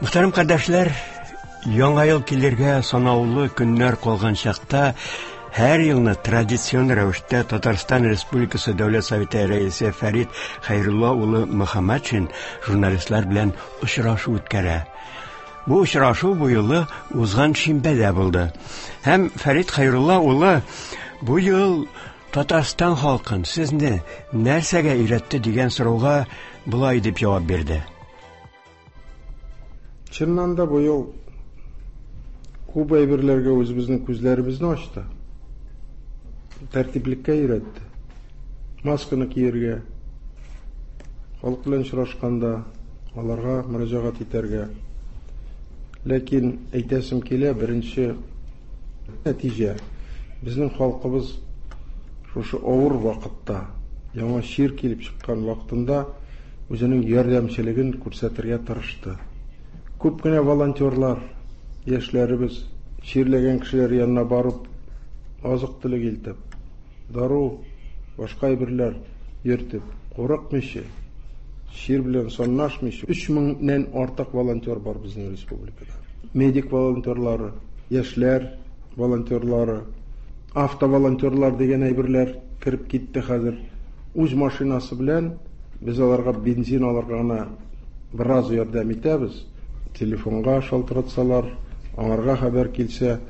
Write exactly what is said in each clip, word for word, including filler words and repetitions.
Мөхтәрәм кардәшләр, Яңа ел килергә санаулы көннәр калган чакта һәр елны традицион рәвештә Татарстан Республикасы Дәүләт Советы рәисе Фәрит Хәйрулла улы Мөхәммәтшин журналистлар белән очрашу үткәрә. Бу очрашу бу юлы узган шимбәдә булды. Һәм Фәрит Хәйрулла улы бу ел Татарстан халкын сезне нәрсәгә өйрәтте дигән сорауга болай дип җавап бирде. Чыннан да бу ел күп әйберләргә үзебезнең күзләребезне ачты. Тәртиплеккә өйрәтте. Масканы кияргә, халык белән очрашканда аларга мөрәҗәгать итәргә. Ләкин әйтәсем килә, беренче нәтиҗә безнең халкыбыз шушы авыр вакытта, яңа чир килеп чыккан вакытында үзенең ярдәмчелеген күрсәтергә тырышты. Күп кенә волонтерлар, яшьләребез чирләгән кешеләр янына барып, азык-төлек илтеп, дару, башка әйберләр йөртеп, курыкмыйча, чир белән санлашмыйча, өч меңнән артык волонтер бар безнең республикада. Медик волонтерлары, яшьләр волонтерлары, автоволонтерлар дигән әйберләр кереп китте хәзер. Үз машинасы белән без аларга бензин алырга гына бераз ярдәм итәбез. Телефонга шалтыратсалар, аңарга хәбәр килсә,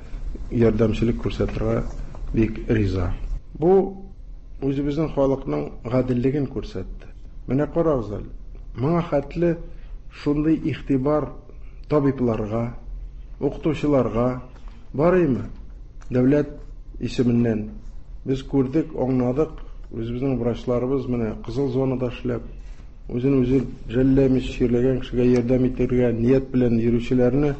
ярдәмчелек күрсәтергә бик риза. Бу үзебезнең халыкның гаделлеген күрсәтте. Менә карагыз әле, моңа хәтле шундый игътибар табибларга, укытучыларга бар име? Дәүләт исеменнән без күрдек, аңладык, үзебезнең врачларыбыз менә кызыл зонада эшләп, үзен үзе жәлләмичә чирләгән кешегә ярдәм итәргә ният белән йөрүчеләрне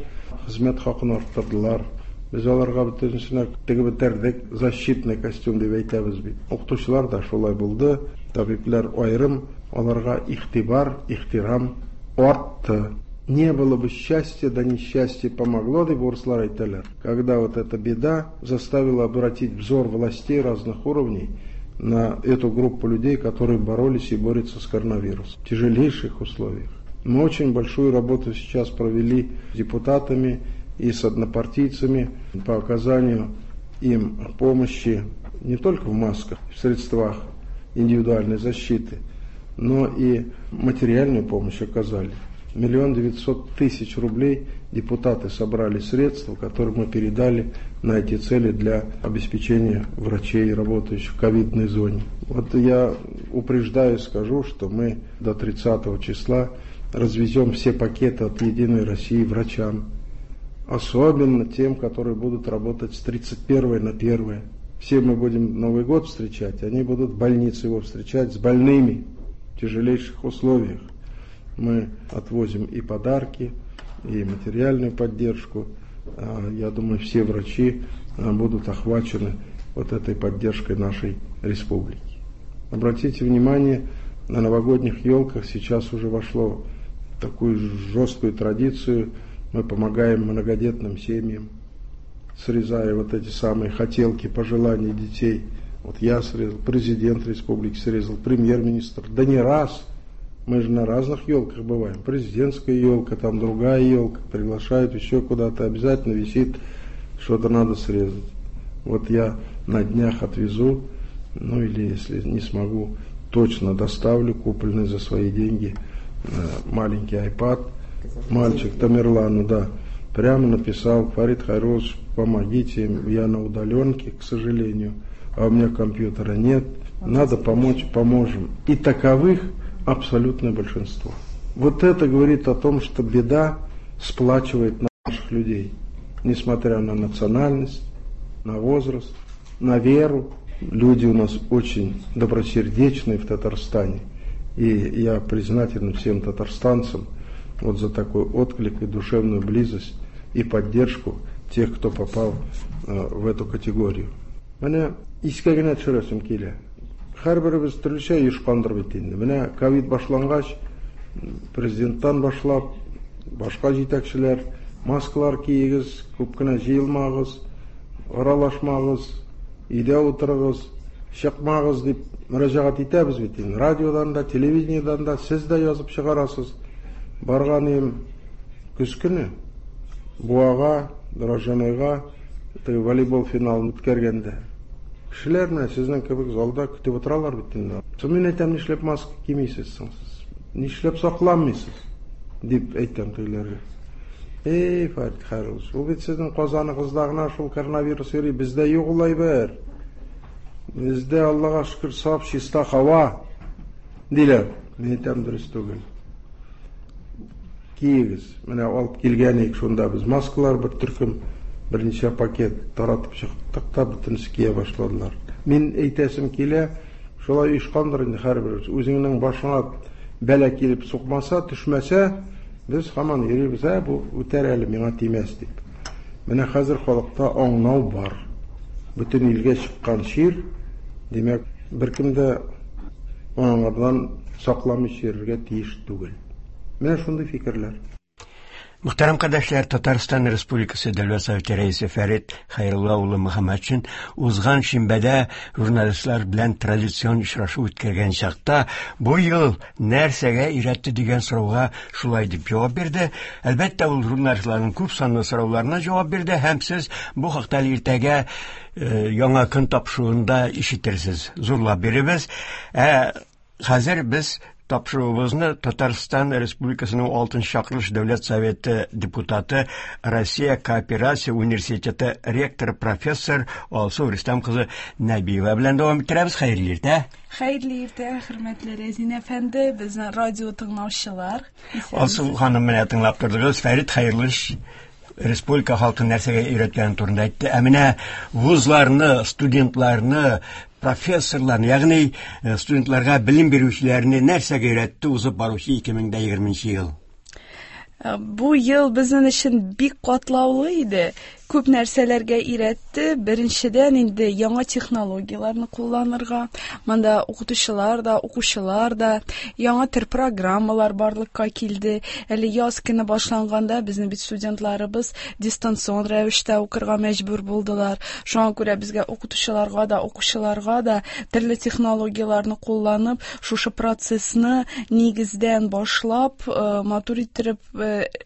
хезмәт хакын арттырдылар. Без аларга бөтенесенә тегеп бетердек, защитный костюм дип әйтәбез бит. Укытучылар да шулай булды, табиблар аерым, аларга игътибар, ихтирам артты. Не было бы счастья, да несчастье помогло, дип урыслар әйтәләр. Когда вот эта беда заставила обратить взор властей разных уровней на эту группу людей, которые боролись и борются с коронавирусом в тяжелейших условиях. Мы очень большую работу сейчас провели с депутатами и с однопартийцами по оказанию им помощи не только в масках, в средствах индивидуальной защиты, но и материальную помощь оказали. Миллион девятьсот тысяч рублей депутаты собрали средства, которые мы передали на эти цели для обеспечения врачей, работающих в ковидной зоне. Вот я упреждаю, скажу, что мы до тридцатого числа развезем все пакеты от «Единой России» врачам, особенно тем, которые будут работать с тридцать первого на первое. Все мы будем Новый год встречать, они будут в больнице его встречать с больными в тяжелейших условиях. Мы отвозим и подарки, и материальную поддержку. Я думаю, все врачи будут охвачены вот этой поддержкой нашей республики. Обратите внимание, на новогодних елках сейчас уже вошло в такую жесткую традицию. Мы помогаем многодетным семьям, срезая вот эти самые хотелки, пожелания детей. Вот я срезал, президент республики срезал, премьер-министр. Да не раз. Мы же на разных елках бываем. Президентская елка, там другая елка, приглашают еще куда-то, обязательно висит, что-то надо срезать. Вот я на днях отвезу, ну или если не смогу, точно доставлю купленный за свои деньги маленький iPad. Мальчик Тамерлану, да, прямо написал: Фарид Хайруллович, помогите, я на удаленке, к сожалению, а у меня компьютера нет, надо помочь, поможем. И таковых абсолютное большинство. Вот это говорит о том, что беда сплачивает наших людей, несмотря на национальность, на возраст, на веру. Люди у нас очень добросердечные в Татарстане, и я признателен всем татарстанцам вот за такой отклик и душевную близость и поддержку тех, кто попал э, в эту категорию. Менә искә генә төшерәсем килә. Һәрберебез төрлечә оешкандыр бит инде. Менә ковид башлангач, президенттан башлап, башка җитәкчеләр маскалар киегез, күп кенә җыелмагыз, аралашмагыз, өйдә утырыгыз, чыкмагыз дип мөрәҗәгать итәбез бит инде. Радиодан да, телевидениедән дә сез дә язып чыгарасыз. Барган идем, Көз көне Буага, Дрожжанойга теге волейбол финалын үткәргәндә кешеләр менә сезнең кебек залда көтеп утыралар бит инде. Соң мин әйтәм, нишләп маска кимисез соң сез? Нишләп сакланмыйсыз? Дип әйтәм тегеләргә. Эй, Фәрит Хәйруллович, ул бит сезнең Казаныгызда гына шул коронавирус йөри, бездә юк ул әйбер. Бездә, Аллага шөкер, саф, чиста һава, диләр. Мин әйтәм, дөрес түгел. Киегез. Менә алып килгән идек шунда без маскалар бер төркем, берничә пакет таратып чыктык та бөтенесе кия башладылар. Мин әйтәсем килә, шулай оешкандыр инде һәрбер. Үзеңнең башыңа бәла килеп сукмаса, төшмәсә, без һаман йөрибез, ә бу үтәр әле, миңа тимәс дип. Менә хәзер халыкта аңлау бар. Бөтен илгә чыккан чир, димәк, беркем дә аңардан сакламыйча йөрергә тиеш түгел. Менә шундый фикерләр. Мөхтәрәм кардәшләр, Татарстан Республикасы Дәүләт Советы рәисе Фәрит Хәйрулла улы Мөхәммәтшин узган шимбәдә журналистлар белән традицион очрашу үткәргән чакта бу ел нәрсәгә өйрәтте дигән сорауга шулай дип җавап бирде. Әлбәттә, ул журналистларның күп санлы сорауларына җавап бирде һәм сез бу хакта иртәгә яңа көн тапшыруында ишетерсез. Зурлап биребез. Ә хәзер без тапшыруыбызны Татарстан Республикасының алтынчы чакырылыш Дәүләт Советы депутаты, Россия Кооперация университеты ректоры профессор Алсу Рөстәм кызы Нәбиева белән дәвам иттерәбез. Хәерле иртә. Хәерле иртә, хөрмәтле Рәзин әфәнде, безнең радио тыңлаучылар. Алсу ханым, менә тыңлап тордыгыз. Фәрит Хәйруллович республика халкын нәрсәгә өйрәткән турында әйтте. Ә менә вузларны, студентларны, профессорларны, ягъни студентларга белем бирүчеләрне нәрсәгә өйрәтте узып баручы ике мең дә егерменче ел? Бу ел безнең өчен бик катлаулы иде. Күп нәрсәләргә өйрәтте. Беренчедән инде яңа технологияләрне кулланырга. Монда укытучылар да, укучылар да, яңа төр программалар барлыкка килде. Әле яз көне башланганда безнең бит студентларыбыз дистанцион рәвештә укырга мәҗбүр булдылар. Шуңа күрә безгә укытучыларга да, укучыларга да төрле технологияләрне кулланып, шушы процессны нигездән башлап, матур иттереп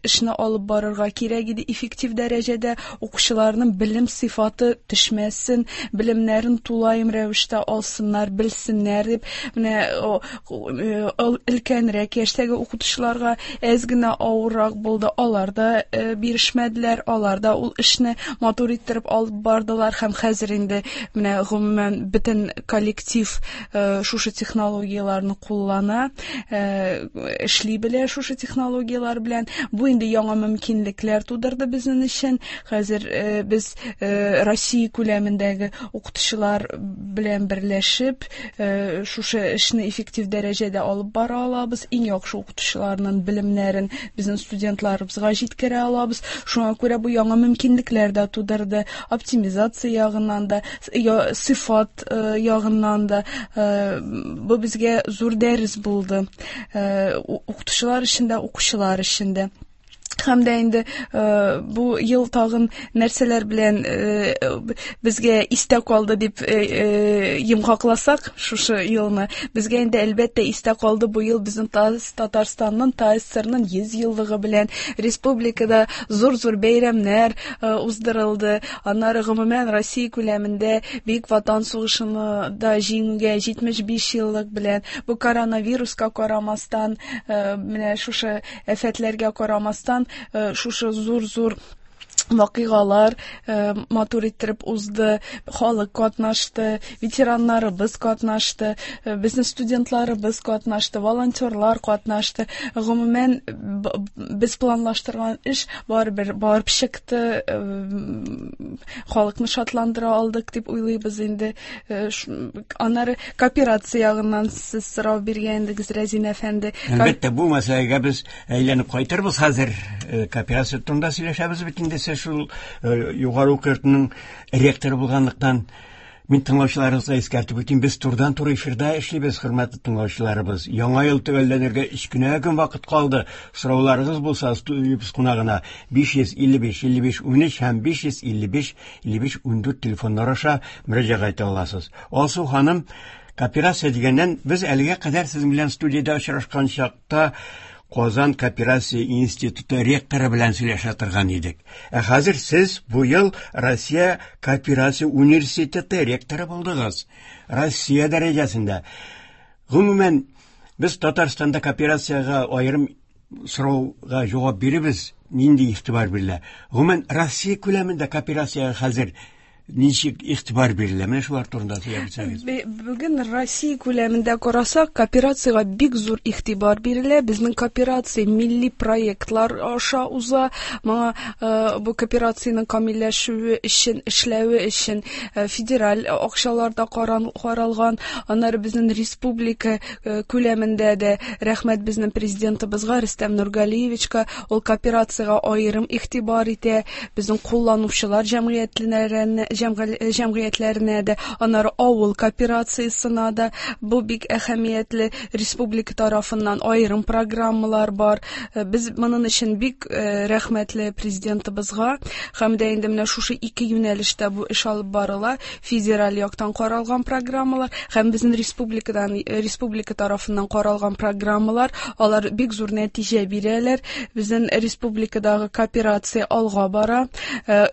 эшне алып барырга кирәк иде. Эффектив дәрәҗәдә укучыларның белем сыйфаты төшмәсен, белемнәрен тулаем рәвештә алсыннар, белсеннәр дип, менә өлкәнрәк яшьтәге укытучыларга әз генә авыррак булды. Алар да бирешмәделәр, алар да ул эшне матур иттереп алып бардылар һәм хәзер инде менә гомумән бөтен коллектив шушы технологияләрне куллана, эшли белә шушы технологияләр белән. Бу инде яңа мөмкинлекләр тудырды безнең өчен. Хәзер без Россия күләмендәге укытучылар белән берләшеп, шушы эшне эффектив дәрәҗәдә алып бара алабыз. Иң яхшы укытучыларның белемнәрен безнең студентларыбызга җиткерә алабыз. Шуңа күрә бу яңа мөмкинлекләр дә тудырды. Оптимизация ягыннан да, сыйфат ягыннан да бу безгә зур дәрес булды. Укытучылар өчен дә, укучылар өчен дә. Һәм дә инде бу ел тагын нәрсәләр белән безгә истә калды дип йомгакласак шушы елны, безгә инде әлбәттә истә калды бу ел безнең Татарстанның ТАССРның йөз еллыгы белән республикада зур-зур бәйрәмнәр уздырылды. Аннары гомумән Россия күләмендә Бөек Ватан сугышына да җиңүгә җитмеш биш еллык белән, бу коронавируска карамастан, менә шушы афәтләргә карамастан, шушы зур-зур вакыйгалар матур иттереп узды, халык катнашты, ветераннарыбыз катнашты, безнең студентларыбыз катнашты, волонтерлар катнашты. Гомумән, без планлаштырган эш барыбер барып чыкты, халыкны шатландыра алдык дип уйлыйбыз инде. Аннары кооперация ягыннан сез сорау биргән идегез, Рәзин әфәнде. Әлбәттә, бу мәсьәләгә без әйләнеп кайтырбыз хәзер. Кооперация турында сөйләшәбез бит инде. Сез шул югары уку йортының ректоры булганлыктан, мин тыңлаучыларыбызга искәртеп үтим, без турыдан-туры эфирда эшлибез, хөрмәтле тыңлаучыларыбыз. Яңа ел төгәлләнергә өч кенә көн вакыт калды. Сорауларыгыз булса, студиябез кунагына биш йөз илле биш илле биш унөч һәм биш йөз илле биш илле биш ундүрт телефоннар аша мөрәҗәгать итә аласыз. Алсу ханым, кооперация дигәннән, без әлегә кадәр сезнең белән студиядә очрашкан чакта Казан кооперация институты ректоры белән сөйләшә торган идек. Ә хәзер сез бу ел Россия кооперация университеты ректоры булдыгыз. Россия дәрәҗәсендә. Гомумән, без Татарстанда кооперациягә аерым сорауга җавап биребез, нинди игътибар бирелә. Гомумән, Россия күләмендә кооперациягә хәзер ничек игътибар бирелә? Менә шулар турында сөйләп үтсәгез. Бүген Россия күләмендә карасак, кооперациягә бик зур игътибар бирелә. Безнең кооперация милли проектлар аша уза. Моңа бу кооперациянең камилләшүе өчен, эшләве өчен федераль акчалар да каралган. Аннары безнең республика күләмендә дә рәхмәт безнең президентыбызга Рөстәм Нургалиевичка, ул кооперациягә аерым игътибар итә. Безнең кулланучылар җәмгыятьләренә җәмгыятьләренә дә, аннары авыл кооперациясенә дә бу бик әһәмиятле. Республика тарафыннан аерым программалар бар. Без моның өчен бик рәхмәтле президентыбызга. Һәм дә инде менә шушы ике юнәлештә бу эш алып барыла. Федераль яктан каралган программалар һәм безнең республикадан, республика тарафыннан каралган программалар, алар бик зур нәтиҗә бирәләр. Безнең республикадагы кооперация алга бара.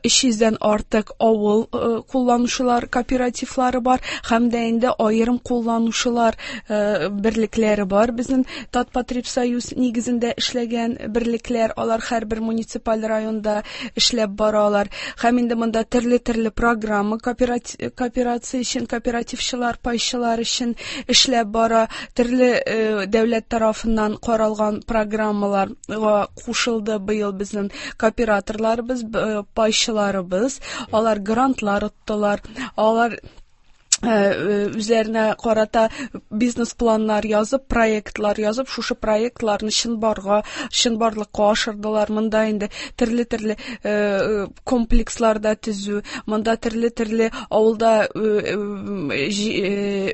Өч йөздән артык авыл кулланучылар кооперативлары бар, һәм дә инде аерым кулланучылар берлекләре бар. Безнең Татпотребсоюз нигезендә эшләгән берлекләр, алар һәрбер муниципаль районда эшләп баралар. Һәм инде монда төрле-төрле программа кооперация өчен, кооперативчылар, пайчылар өчен эшләп бара. Төрле дәүләт тарафыннан каралган программаларга кушылды быел безнең кооператорларыбыз, пайчыларыбыз. Алар грантлар оттылар, алар үзләренә карата бизнес-планнар язып, проектлар язып, шушы проектларны чынбарга, чынбарлыкка ашырдылар. Монда инде төрле-төрле комплексларда төзү, монда төрле-төрле авылда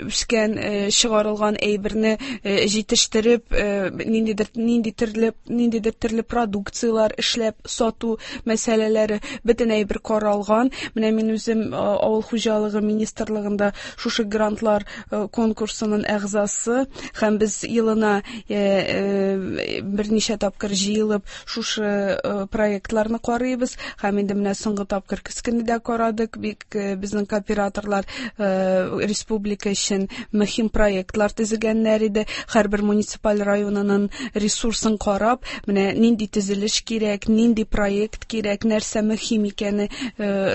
үскән, чыгарылган әйберне җитештереп, ниндидер, нинди төрле, ниндидер төрле продукцияләр эшләп сату мәсьәләләре бөтен әйбер каралган. Менә мин үзем авыл хуҗалыгы министрлыгында шушы грантлар конкурсының әгъзасы, һәм без елына берничә тапкыр җыелып шушы проектларны карыйбыз. Һәм инде менә соңгы тапкыр көз көне дә карадык. Бик безнең кооператорлар республика өчен мөһим проектлар төзегәннәр иде. Һәрбер муниципаль районының ресурсын карап, менә нинди төзелеш кирәк, нинди проект кирәк, нәрсә мөһим икәне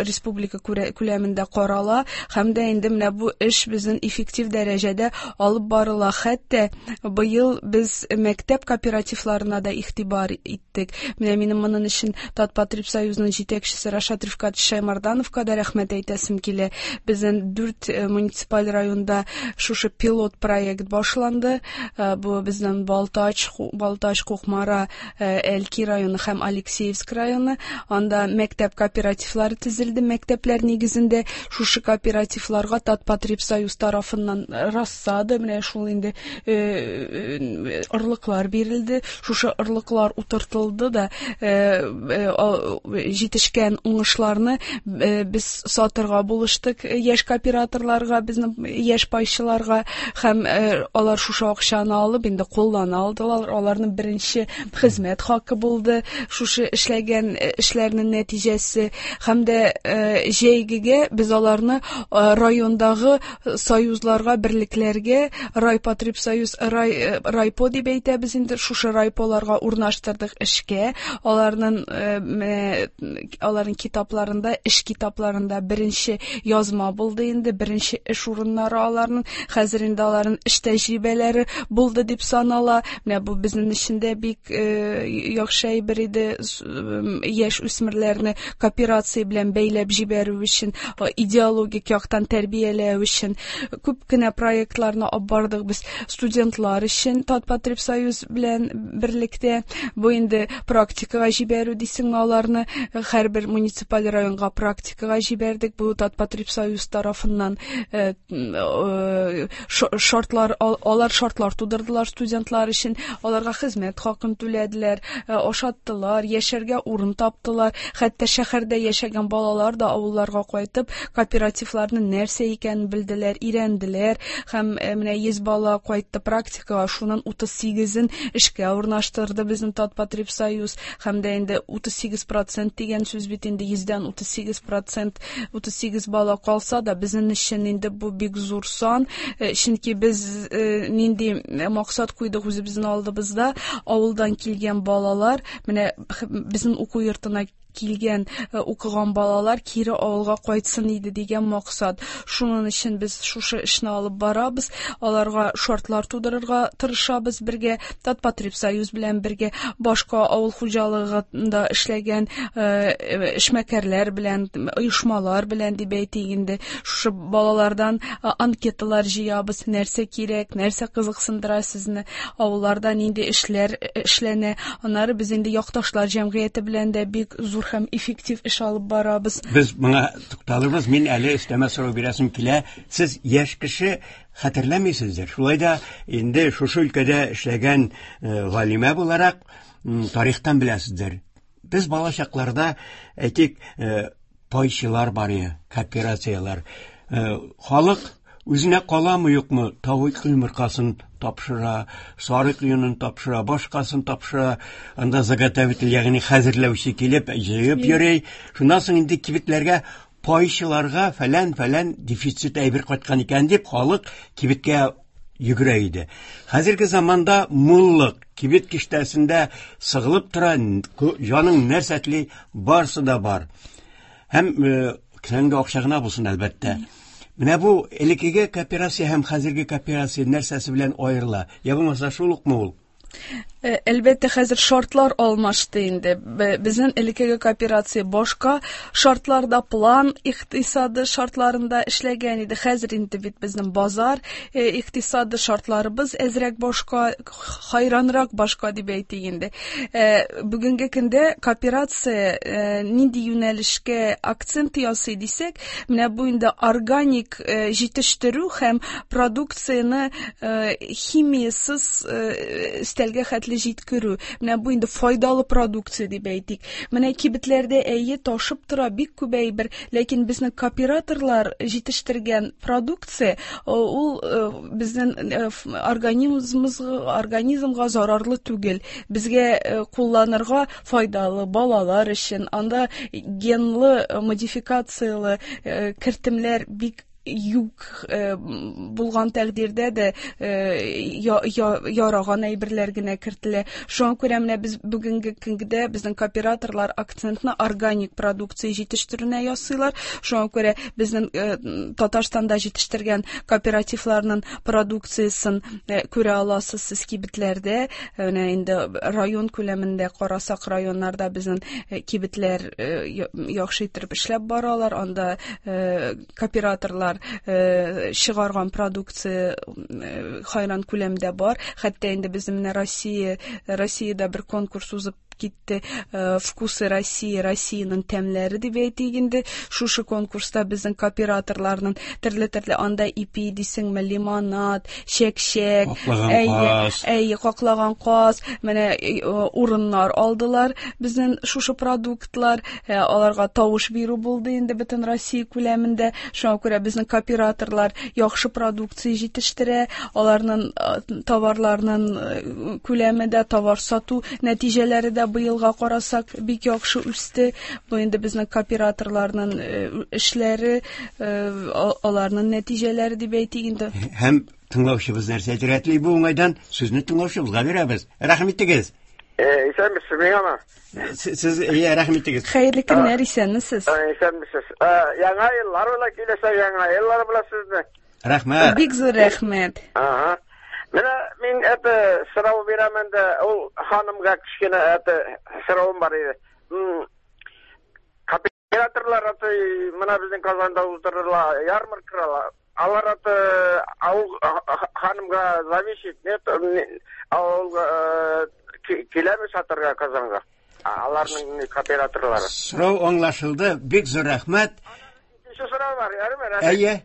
республика күләмендә карала. Һәм дә инде менә бу эш безнең эффектив дәрәҗәдә алып барыла. Хәтта быел без мәктәп кооперативларына да игътибар иттек. Менә минем моның өчен Татпотребсоюзның җитәкчесе Рашат Рифкатович Шаймардановка да рәхмәт әйтәсем килә. Безнең дүрт муниципаль районда шушы пилот проект башланды. Бу безнең Балтач, Балтач, Кукмара, Әлки районы һәм Алексеевск районы. Анда мәктәп кооперативлары төзелде. Мәктәпләр нигезендә шушы кооперативларга Татпотребсоюз тарафыннан рассада, менә шул инде орлыклар бирелде. Шушы орлыклар утыртылды да, җитешкән уңышларны без сатырга булыштык яшь кооператорларга, безнең яшь пайчыларга, һәм алар шушы акчаны алып инде куллана алдылар. Аларның беренче хезмәт хакы булды шушы эшләгән эшләрнең нәтиҗәсе. Һәм дә җәйгегә без аларны райондагы союзларга, берлекләргә, райпотребсоюз, рай, райпо дип әйтәбез инде, шушы райполарга урнаштырдык эшкә. Аларның, аларның китапларында, эш китапларында беренче язма булды инде, беренче эш урыннары аларның. Хәзер инде аларның эш тәҗрибәләре булды дип санала. Менә бу безнең өчен дә бик яхшы әйбер иде, яшь үсмерләрне кооперация белән бәйләп җибәрү өчен, идеологик яктан тәрбияләү өчен. Күп кенә проектларны алып бардык без студентлар өчен Татпотребсоюз белән берлектә. Бу инде практикага җибәрү дисеңме аларны, һәрбер муниципаль районга практикага җибәрдек. Бу Татпотребсоюз тарафыннан шартлар, алар шартлар тудырдылар студентлар өчен, аларга хезмәт хакын түләделәр, ашаттылар, яшәргә урын таптылар. Хәтта шәһәрдә яшәгән балалар да авылларга кайтып кооперативларның нәрсә икәнен икәнен белделәр, өйрәнделәр һәм менә йөз бала кайтты практикага, шуннан утыз сигезен эшкә урнаштырды безнең Татпотребсоюз һәм дә инде утыз сигез процент дигән сүз бит инде йөздән утыз сигез процент, утыз сигез бала калса да безнең өчен инде бу бик зур сан, чөнки без нинди максат куйдык үзебезнең алдыбызда, авылдан килгән балалар, менә безнең уку йортына килгән укыган балалар кире авылга кайтсын иде дигән максат. Шуның өчен без шушы эшне алып барабыз, аларга шартлар тудырырга тырышабыз бергә, Татпотребсоюз белән бергә, башка авыл хуҗалыгында эшләгән эшмәкәрләр белән, оешмалар белән дип әйтик инде. Шушы балалардан анкеталар җыябыз, нәрсә кирәк, нәрсә кызыксындыра сезне, авылларда нинди эшләр эшләнә. Аннары без инде якташлар җәмгыяте белән дә бик зур һәм эффектив эш алып барабыз. Без моңа тукталырбыз. Мин әле өстәмә сорау бирәсем килә. Сез яшь кеше, хәтерләмисездер. Шулай да инде шушы өлкәдә эшләгән галимә буларак тарихтан беләсездер. Без бала чакларда, әйтик, пайчылар бар иде, кооперацияләр. Халык үзенә каламы юкмы, тавык йомыркасын тапшыра, сарык йонын тапшыра, башкасын тапшыра. Анда заготовитель, ягъни хәзерләүче килеп җыеп йөри. Шуннан соң инде кибетләргә пайчыларга фәлән-фәлән дефицит әйбер кайткан икән дип халык кибеткә йөгерә иде. Хәзерге заманда муллык кибет киштәсендә сыгылып тора, җаның нәрсә тели, барсы да бар. Һәм кесәңдә акча гына булсын, әлбәттә. Менә бу элеккеге кооперация һәм хәзерге кооперация нәрсәсе белән аерыла? Я булмаса шул укмы ул? Әлбәттә, хәзер шартлар алмашты инде. Безнең элеккеге кооперация башка шартларда, план икътисады шартларында эшләгән иде. Хәзер инде бит безнең базар икътисады шартларыбыз әзрәк башка, хайранрак башка дип әйтик инде. Бүгенге көндә кооперация нинди юнәлешкә акцент ясый дисәк, менә бу инде органик җитештерү һәм продукцияне химиясез өстәлгә хәтле җиткерү. Менә бу инде файдалы продукция дип әйтик. Менә кибетләрдә әйе ташып тора бик күп әйбер, ләкин безнең кооператорлар җитештергән продукция ул безнең организмыбызга, организмга зарарлы түгел. Безгә кулланырга файдалы балалар өчен. Анда генлы модификациялы кертемләр бик юк булган тәкъдирдә дә яраган әйберләр генә кертелә. Шуңа күрә менә без бүгенге көндә безнең кооператорлар акцентны органик продукция җитештерүенә ясыйлар. Шуңа күрә безнең Татарстанда җитештергән кооперативларның продукциясен күрә аласыз сез кибетләрдә. Менә инде район күләмендә карасак, районнарда безнең кибетләр яхшы итеп эшләп баралар. Анда кооператорлар чыгарган продукция хайран күләмдә бар. Хәтта инде безнең менә Россия, Россиядә бер конкурс узып китте, Вкусы России, Россиянең тәмләре дип әйтик инде. Шушы конкурста безнең кооператорларның төрле-төрле анда ипи дисеңме, лимонад, чәк-чәк, әйе, каклаган каз, менә урыннар алдылар безнең шушы продуктлар. Аларга тавыш бирү булды инде бөтен Россия күләмендә. Шуңа күрә безнең кооператорлар яхшы продукция җитештерә, аларның товарларының күләме дә, товар сату нәтиҗәләре дә быелга карасак бик яхшы үсте. Бу инде безнең кооператорларның эшләре, аларның нәтиҗәләре дип әйтик инде. Һәм тыңлаучыбыз нәрсә әйтергә тели бу уңайдан, сүзне тыңлаучыбызга бирәбез. Рәхим итегез. Исәнмесез, миңамы? Сез, иә, рәхим итегез. Хәерле көннәр, исәнмесез. Исәнмесез. Яңа еллар белән киләсе, яңа еллар белән сезне. Рәхмәт. Бик зур рәхмәт. Ага. Менә мин это сорау бирәм инде, ул ханымга кечкенә это соравым бар иде. Кооператорлар это менә безнең Казанда уздырыла ярмаркалар. Алар это авыл ханымга зависит, нет, авыл киләме сатырга Казанга? Аларның кооператорлары. Сорау аңлашылды, бик зур рәхмәт. Икенче сорау бар, ярыймы? Әйе.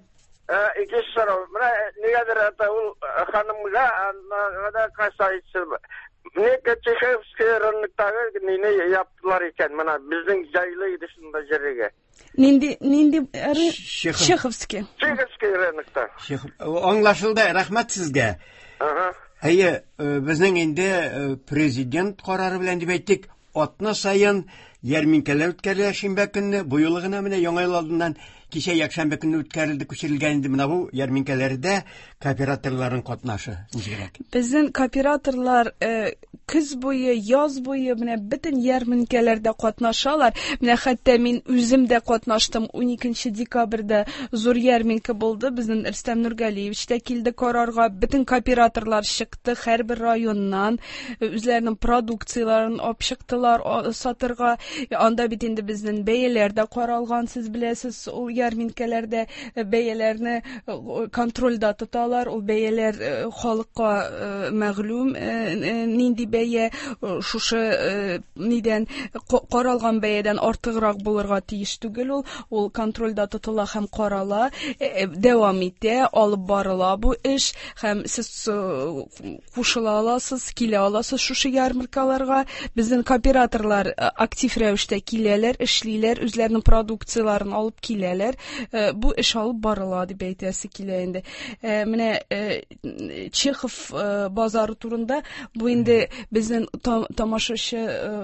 Икенче сорау. Менә нигәдер это ул ханымга да касается. Нигә Чеховский рыноктагы нине яптылар икән? Менә безнең җайлы иде шунда җиргә. Нинди нинди Чеховский. Чеховский рынокта. Чехов. Аңлашылды, рәхмәт сезгә. Ага. Әйе, безнең инде президент карары белән дип әйттек, атна саен ярминкәләр үткәрелә шимбә көнне. Бу юлы гына менә Яңа ел алдыннан кичә якшәмбе көнне үткәрелде, күчерелгән инде менә бу ярминкәләрдә кооператорларның катнашы ничегрәк? Безнең кооператорлар көз буе, яз буе менә бөтен ярминкәләрдә катнашалар. Менә хәтта мин үзем дә катнаштым. Уникенче декабрьдә зур ярминкә булды. Безнең Рөстәм Нургалиевич та килде карарга. Бөтен кооператорлар чыкты һәрбер районнан, үзләренең продукцияләрен алып чыктылар сатырга. Анда бит инде безнең бәяләр дә каралган, сез беләсез, ул ярминкәләрдә бәяләрне контрольдә тоталар. Ул бәяләр халыкка мәгълүм, нинди бәя шушы нидән каралган бәядән артыграк булырга тиеш түгел. Ул ул контрольдә тотыла һәм карала, дәвам итә, алып барыла бу эш. Һәм сез кушыла аласыз, килә аласыз шушы ярмаркаларга. Безнең кооператорлар актив рәвештә киләләр, эшлиләр, үзләренең продукцияләрен алып киләләр. Бу эш алып барыла дип әйтәсе килә инде. Менә Чехов базары турында бу инде безнең тамашачы,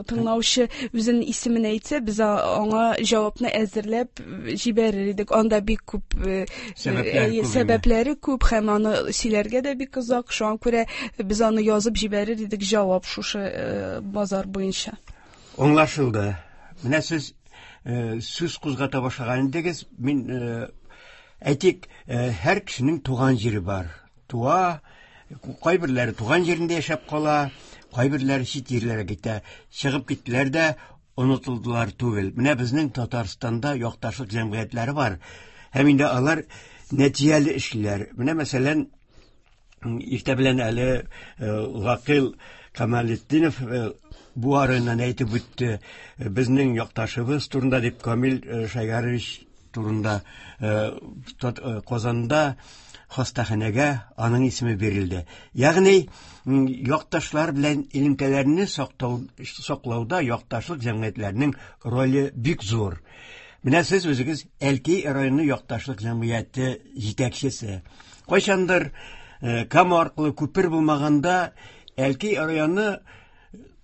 тыңлаучы үзенең исемен әйтсә, без аңа җавапны әзерләп җибәрер идек. Анда бик күп сәбәпләре күп һәм аны сөйләргә дә бик озак. Шуңа күрә без аны язып җибәрер идек җавап шушы базар буенча. Аңлашылды. Менә сез сүз кузгата башлаган идегез. Мин әйтик, һәр кешенең туган җире бар. Туа, кайберләре туган җирендә яшәп кала, кайберләре чит җирләргә китә. Чыгып киттеләр дә онытылдылар түгел. Менә безнең Татарстанда якташлык җәмгыятьләре бар. Һәм инде алар нәтиҗәле эшлиләр. Менә мәсәлән, иртә белән әле Гакил Камалетдинов бу арыннан әйтеп үтте, безнең якташыбыз турында дип, Камил Шәйгарович турында Казанда хастаханәгә аның исеме бирелде. Ягъни якташлар белән элемтәләрне саклау, саклауда якташлык җәмгыятьләренең роле бик зур. Менә сез үзегез Әлки районы якташлык җәмгыяте җитәкчесе. Кайчандыр Кама аркылы күпер булмаганда Әлки районы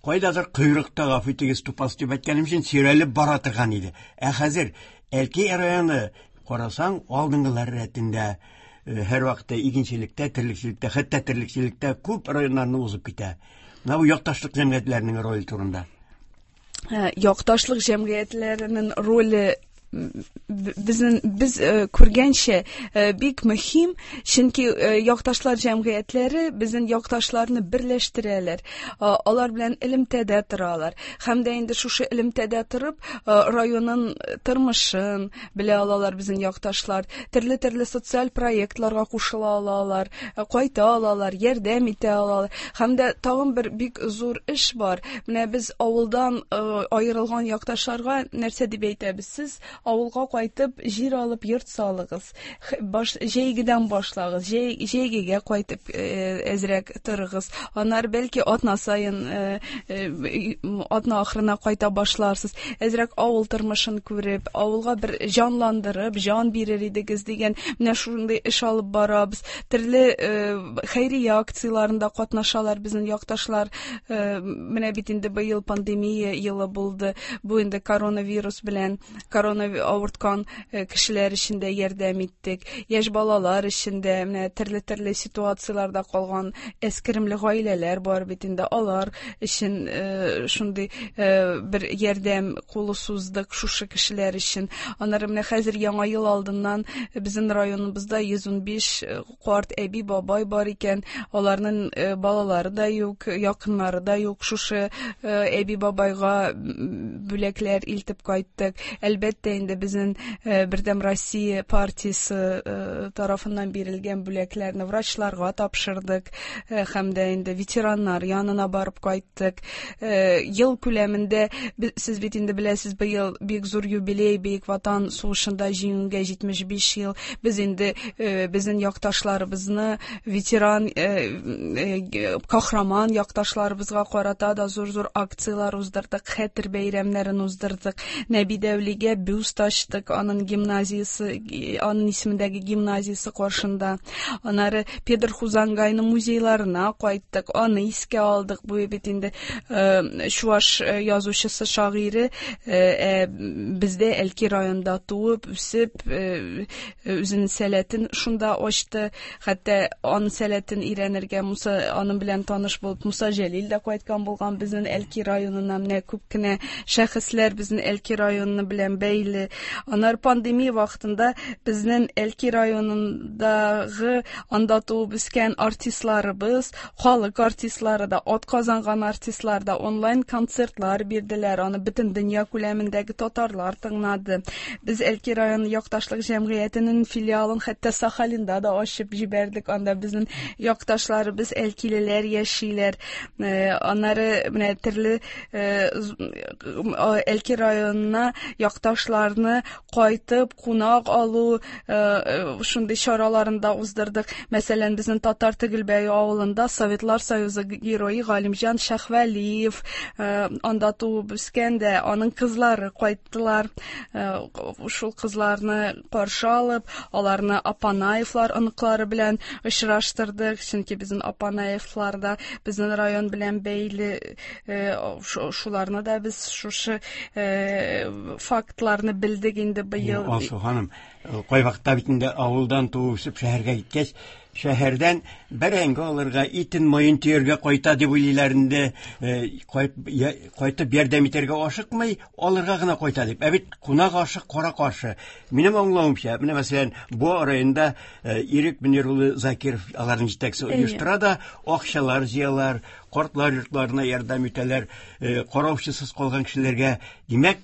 кайдадыр койрыкта, гафу итегез, тупас дип әйткәнем өчен, сөйрәлеп бара торган иде. Ә хәзер Әлки районы карасаң, алдынгылар рәтендә, һәр вакытта игенчелектә, терлекчелектә, хәтта терлекчелектә күп районнарны узып китә. Менә бу якташлык җәмгыятьләренең роле турында. Якташлык җәмгыятьләренең роле безнең без күргәнчә бик мөһим, чөнки якташлар җәмгыятьләре безнең якташларны берләштерәләр, алар белән элемтәдә торалар. Һәм дә инде шушы элемтәдә торып, районның тормышын белә алалар безнең якташлар, төрле-төрле социаль проектларга кушыла алалар, кайта алалар, ярдәм итә алалар. Һәм дә тагын бер бик зур эш бар. Менә без авылдан аерылган якташларга нәрсә дип әйтәбез? Сез авылга кайтып, җир алып, йорт салыгыз. Баш, җәйгедән башлагыз, җәй, җәйгегә кайтып әзрәк торыгыз. Аннары бәлки атна саен, атна ахырына кайта башларсыз. Әзрәк авыл тормышын күреп, авылга бер җанландырып, җан бирер идегез дигән менә шундый эш алып барабыз. Төрле хәйрия акцияләрендә катнашалар безнең якташлар. Менә бит инде быел пандемия елы булды. Бу инде коронавирус белән корона авырткан кешеләр өчен дә ярдәм иттек. Яшь балалар өчен дә менә төрле-төрле ситуацияләрдә калган әскеремле гаиләләр бар бит инде, алар өчен шундый бер ярдәм кулы суздык шушы кешеләр өчен. Аннары менә хәзер Яңа ел алдыннан безнең районыбызда йөз унбиш карт әби бабай бар икән. Аларның балалары да юк, якыннары да юк. Шушы әби бабайга бүләкләр илтеп кайттык. Әлбәттә Әлбәттә инде безнең Бердәм Россия партиясе тарафыннан бирелгән бүләкләрне врачларга тапшырдык һәм дә инде ветераннар янына барып кайттык. Ел күләмендә сез бит инде беләсез, быел бик зур юбилей, Бөек Ватан сугышында җиңүгә җитмеш биш ел. Без инде безнең якташларыбызны, ветеран, кахраман якташларыбызга карата да зур-зур акциялар уздырдык, хәтер бәйрәмнәрен уздырдык. Нәби Дәүлигә бюст ачтык, аның гимназиясе, аның исемендәге гимназиясе каршында. Аннары Педер Хузангайның музейларына кайттык, аны искә алдык. Бу бит инде чуаш язучысы, шагыйре, бездә Әлки районында туып, үсеп, үзенең сәләтен шунда ачты. Хәтта аның сәләтен өйрәнергә Муса, аның белән таныш булып Муса Җәлил дә кайткан булган безнең Әлки районына. Менә күп кенә шәхесләр безнең Әлки районы белән бәйле. Аннары пандемия вакытында безнең Әлки районындагы анда туып үскән артистларыбыз, халык артистлары да, ат казанган артистлар да онлайн концертлар бирделәр. Аны бөтен дөнья күләмендәге татарлар тыңлады. Без Әлки районы якташлык җәмгыятенең филиалын хәтта Сахалинда да ачып җибәрдек. Анда безнең якташларыбыз, әлкилеләр яшиләр. Аннары менә төрле Әлки районына якташларны кайтып кунак алу шундый чараларын да уздырдык. Мәсәлән, безнең Татар Тегелбәе авылында Советлар Союзы герое Галимҗан Шәхвәлиев анда туып үскән дә, аның кызлары кайттылар. Шул кызларны каршы алып, аларны Апанаевлар оныклары белән очраштырдык, чөнки безнең Апанаевлар да безнең район белән бәйле. Шуларны да без шушы фактларны белдек инде быел. Алсу ханым, кайвакытта бит инде авылдан туып үсеп шәһәргә киткәч, шәһәрдән бәрәңге алырга, итен майын төяргә кайта дип уйлыйлар инде, кайтып ярдәм итәргә ашыкмый, алырга гына кайта дип. Ә бит кунак ашы кара каршы. Минем аңлавымча, менә мәсәлән, Буа районында Ирек Мөнир улы Закиров аларның җитәкчесе оештыра да, акчалар җыялар, картлар йортларына ярдәм итәләр, караучысыз калган кешеләргә. Димәк,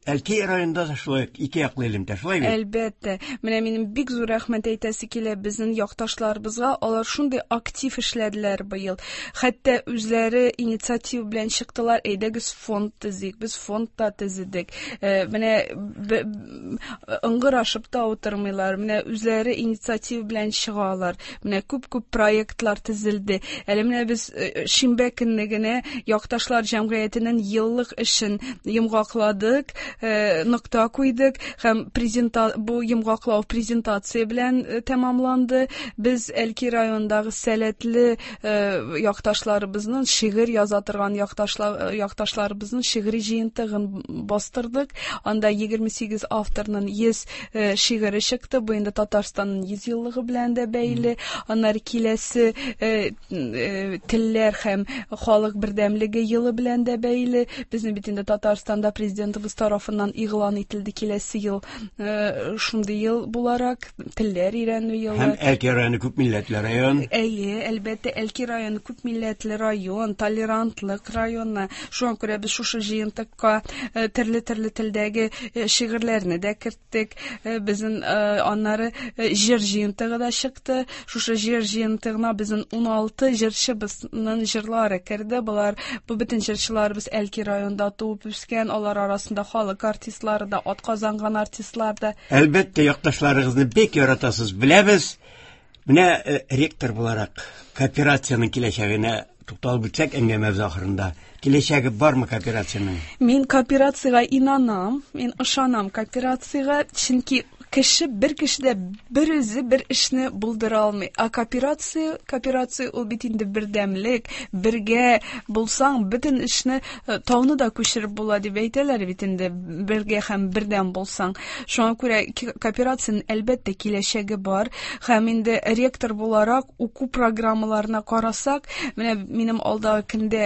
Әлки районында да шулай ике яклы элемтә, шулай бит? Әлбәттә. Менә минем бик зур рәхмәт әйтәсе килә безнең якташларыбызга. Алар шундый актив эшләделәр быел. Хәтта үзләре инициатива белән чыктылар, әйдәгез фонд төзик. Без фонд та төзедек. Менә ыңгырашып та утырмыйлар. Менә үзләре инициатива белән чыгалар. Менә күп-күп проектлар төзелде. Әле менә без шимбә көнне генә якташлар җәмгыятенең еллык эшен йомгакладык, нокта куйдык һәм презента бу йомгаклау презентация белән тәмамланды. Без Әлки районындагы сәләтле якташларыбызның шигырь яза торган якташлар якташларыбызның шигъри җыентыгын бастырдык. Анда егерме сигез авторның йөз шигыре чыкты. Бу инде Татарстанның йөз еллыгы белән дә бәйле. Аннары киләсе телләр һәм халык бердәмлеге елы белән дә бәйле. Безнең бит инде Татарстанда президентыбыз тарафыннан игълан ителде киләсе ел шундый ел буларак телләр өйрәнү елы. Һәм Әлки районы күп милләтле район. Әйе, әлбәттә, Әлки районы күп милләтле район, толерантлык районы. Шуңа күрә без шушы җыентыкка төрле-төрле телдәге шигырьләрне дә керттек. Безнең аннары җыр җыентыгы да чыкты. Шушы җыр җыентыгына безнең уналты җырчыбызның җырлары керде. Болар бу бөтен җырчыларыбыз Әлки районында туып үскән, алар арасында халык артистлары да, ат казанган артистлар да. Әлбәттә, якташларыгызны бик яратасыз, беләбез. Менә ректор буларак кооперациянең киләчәгенә тукталып үтсәк әңгәмәбез ахырында. Киләчәге бармы кооперациянең? Мин кооперациягә инанам, мин ышанам кооперациягә, чөнки кеше бер кеше дә бер үзе бер эшне булдыра алмый. Ә кооперация, кооперация ул бит инде бердәмлек, бергә булсаң, бөтен эшне тауны да күчереп була дип әйтәләр бит инде, бергә һәм бердәм булсаң. Шуңа күрә кооперациянең әлбәттә киләчәге бар. Һәм инде ректор буларак уку программаларына карасак, менә минем алдагы көндә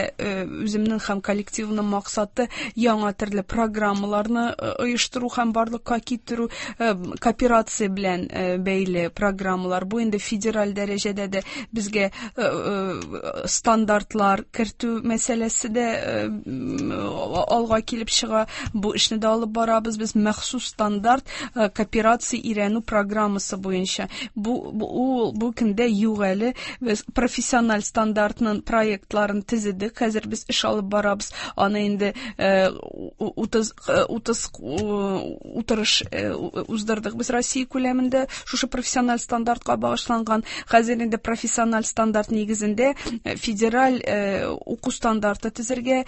үземнең һәм коллективның максаты яңа төрле программаларны оештыру һәм барлыкка китерү, Кооперация белән бәйле программалар. Бу инде федераль дәрәҗәдә дә безгә стандартлар кертү мәсьәләсе дә алга килеп чыга. Бу эшне дә алып барабыз без махсус стандарт кооперация өйрәнү программасы буенча. Бу бу, бу көндә юк әле. Без профессиональ стандартның проектларын төзедек. Хәзер без эш алып барабыз. Аны инде утыз утыз утырыш уздырдык без Россия күләмендә шушы профессиональ стандартка багышланган. Хәзер инде профессиональ стандарт нигезендә федераль уку стандарты төзергә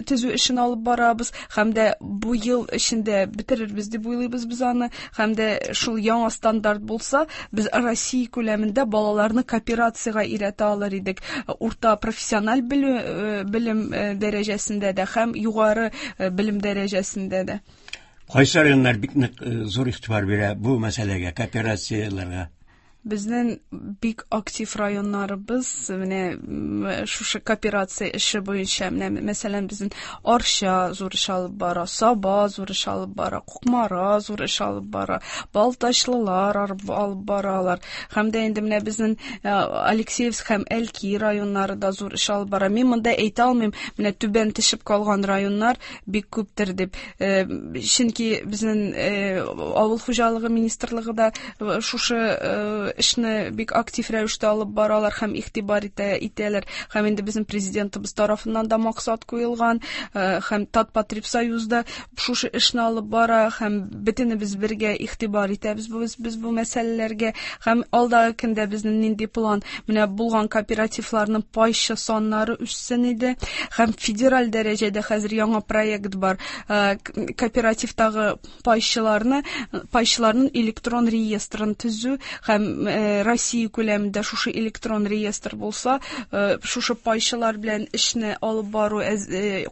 төзү эшен алып барабыз. Һәм дә бу ел эчендә бетерербез дип уйлыйбыз без аны. Һәм дә шул яңа стандарт булса, без Россия күләмендә балаларны кооперациягә өйрәтә алыр идек. Урта профессиональ белем дәрәҗәсендә дә һәм югары белем дәрәҗәсендә дә. Кайсы районнар бик нык зур игътибар бирә бу мәсьәләгә, кооперацияләргә? Безнең бик актив районнарыбыз менә шушы кооперация эше буенча, менә мәсәлән, безнең Арча зур эш алып бара, Саба зур эш алып бара, Кукмара зур эш алып бара, Балтачлылар алып баралар. Һәм дә инде менә безнең Алексеевск һәм Әлки районнары да зур эш алып бара. Мин монда әйтә алмыйм, менә түбән төшеп калган районнар бик күптер дип. Чөнки безнең авыл хуҗалыгы министрлыгы да шушы эшне бик актив рәвештә алып баралар һәм игътибар итә, итәләр. Һәм инде безнең президентыбыз тарафыннан да максат куелган, һәм Татпотребсоюз да шушы эшне алып бара, һәм бөтенебез бергә игътибар итәбез без, без бу мәсьәләләргә. Һәм алдагы көндә безнең нинди план? Менә булган кооперативларның пайчы саннары үссен иде. Һәм федераль дәрәҗәдә хәзер яңа проект бар. Кооперативтагы пайчыларны, пайчыларның электрон реестрын төзү һәм Россия күләмендә шушы электрон реестр булса, шушы пайчылар белән эшне алып бару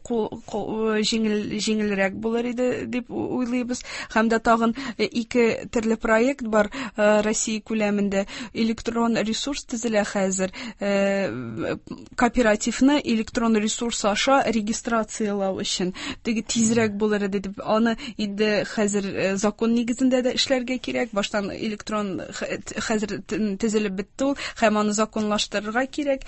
җиңел, җиңелрәк булыр иде дип уйлыйбыз. Һәм дә тагын ике төрле проект бар Россия күләмендә. Электрон ресурс төзелә хәзер. Кооперативны электрон ресурс аша регистрацияләү өчен теге тизрәк булыр иде дип. Аны инде хәзер закон нигезендә дә эшләргә кирәк. Баштан электрон хәзер төзелеп бетте ул, һәм аны законлаштырырга кирәк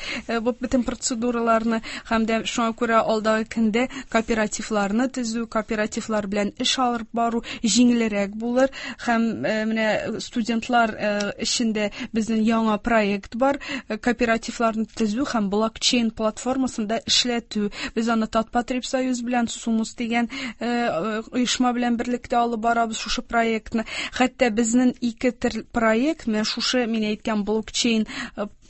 бу бөтен процедураларны. Һәм дә шуңа күрә алдагы көндә кооперативларны төзү, кооперативлар белән эш алып бару җиңелрәк булыр. Һәм менә студентлар эчендә безнең яңа проект бар, кооперативларны төзү һәм блокчейн платформасында эшләтү. Без аны Татпотребсоюз белән Сумус дигән оешма белән берлектә алып барабыз шушы проектны. Хәтта безнең ике төр проект, менә шушы мин әйткән блокчейн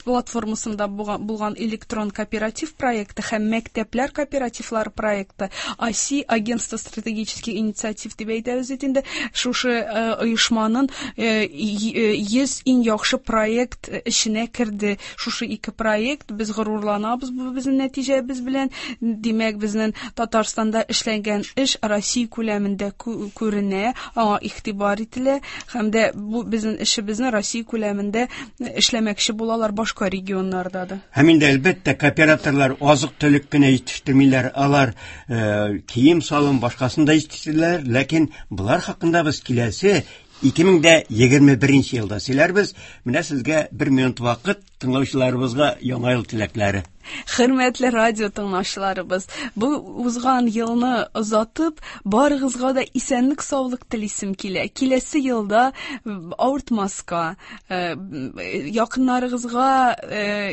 платформасында булган электрон кооператив проекты һәм мәктәпләр кооперативлары проекты, АСИ, Агентство стратегических инициатив дип әйтәбез бит инде, шушы оешманың йөз иң яхшы проект эченә керде. Шушы ике проект, без горурланабыз бу безнең нәтиҗәбез белән. Димәк, безнең Татарстанда эшләнгән эш Россия күләмендә күренә, аңа игътибар ителә һәм дә бу безнең эшебезне Россия күләмендә эшләмәкче булалар башка регионнарда да. Һәм инде әлбәттә кооператорлар азык-төлек кенә җитештермиләр, алар э, кием-салым башкасын да җитештерәләр, ләкин болар хакында без киләсе ике мең дә егерме беренче елда сөйләрбез. Менә сезгә бер минут вакыт, тыңлаучыларыбызга яңа ел теләкләре. Хөрмәтле радио тыңлаучыларыбыз, бу узган елны озатып, барыгызга да исәнлек, саулык телисем килә. Киләсе елда авыртмаска, якыннарыгызга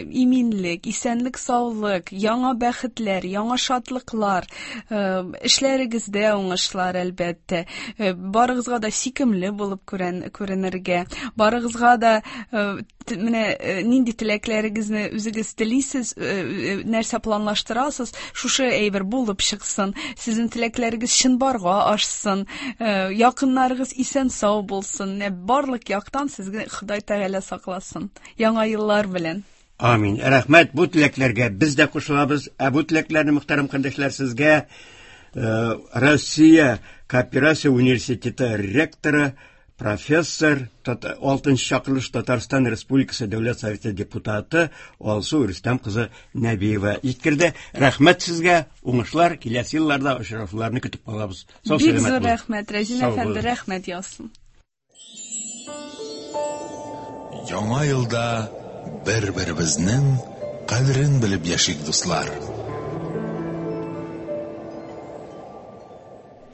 иминлек, исәнлек, саулык, яңа бәхетләр, яңа шатлыклар, эшләрегездә уңышлар әлбәттә. Барыгызга да сөйкемле булып күренергә, барыгызга да менә нинди теләкләрегезне үзегез телисез, нәрсә планлаштырасыз, шушы әйбер булып чыксын, сезнең теләкләрегез чынбарга ашсын, якыннарыгыз исән-сау булсын, барлык яктан сезгә Ходай Тәгалә сакласын. Яңа еллар белән. Амин. Рәхмәт. Бу теләкләргә без дә кушылабыз. Ә бу теләкләрне, мөхтәрәм кардәшләр, сезгә Россия кооперация университеты ректоры, профессор, алтынчы чакырылыш Татарстан Республикасы Дәүләт Советы депутаты Алсу Рөстәм кызы Нәбиева җиткерде. Рәхмәт сезгә, уңышлар, киләсе елларда очрашуларны көтеп калабыз. Сау Бик сәламәт зур булыгыз. рәхмәт, Рәзин Сау әфәнде, булыгыз. рәхмәт яусын. Яңа елда бер-беребезнең кадерен белеп яшик, дуслар!